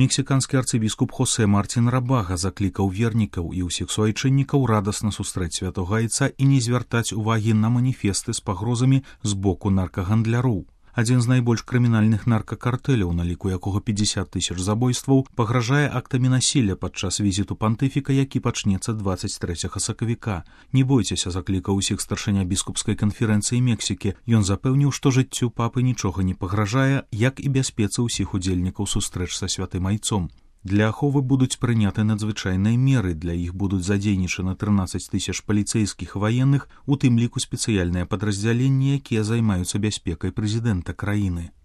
Мексіканскі арцыбіскуп Хосе Мартін Рабага заклікаў вернікаў і ўсіх суайчыннікаў радасна сустрэць святога айца і не звяртаць увагі на маніфесты з пагрозамі з боку наркагандляроў. Адзін з найбольш крымінальных наркакартэляў, на ліку якога 50 000 забойстваў, пагражае актамі насілля падчас візіту пантыфіка, які пачнецца 23 сакавіка. Не бойцеся, заклікаў усіх старшыня біскупскай канферэнцыі Мексікі. Ён запэўніў, што жыццю папы нічога не пагражае, як і бяспецы ўсіх удзельнікаў сустрэч са святым айцом. Для аховы будуць прыняты надзвычайныя меры, для іх будуць задзейнічаны 13 000 паліцэйскіх ваенных, у тым ліку спецыяльныя падраздзяленні, якія займаюцца бяспекай прэзідэнта краіны.